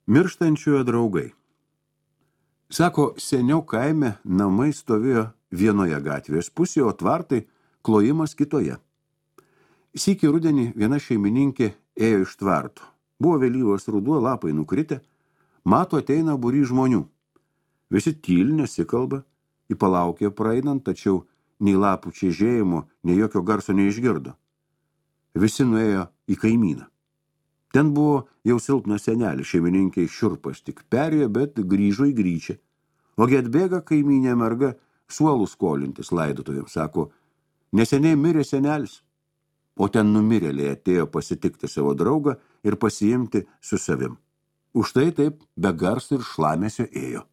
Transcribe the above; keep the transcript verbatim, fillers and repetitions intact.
Mirštančiojo draugai. Sako, seniau kaime namai stovėjo vienoje gatvės pusėje, o tvartai klojimas kitoje. Sykį rudenį viena šeimininkė ėjo iš tvarto. Buvo vėlyvas ruduo, lapai nukritę. Mato, ateina būry žmonių. Visi tyli, nesikalba, į palaukė praeinant, tačiau nei lapų čežėjimo, nei jokio garso neišgirdo. Visi nuėjo į kaimyną. Ten buvo jau silpnas senelis, šeimininkiai šiurpas tik perėjo, bet grįžo į gryčią. Ogi atbėga kaimynė merga suolų skolintis laidotuvėms, sako, neseniai mirė senelis. O ten numirėliai atėjo pasitikti savo draugą ir pasiimti su savim. Už tai taip be garso ir šlamesio ėjo.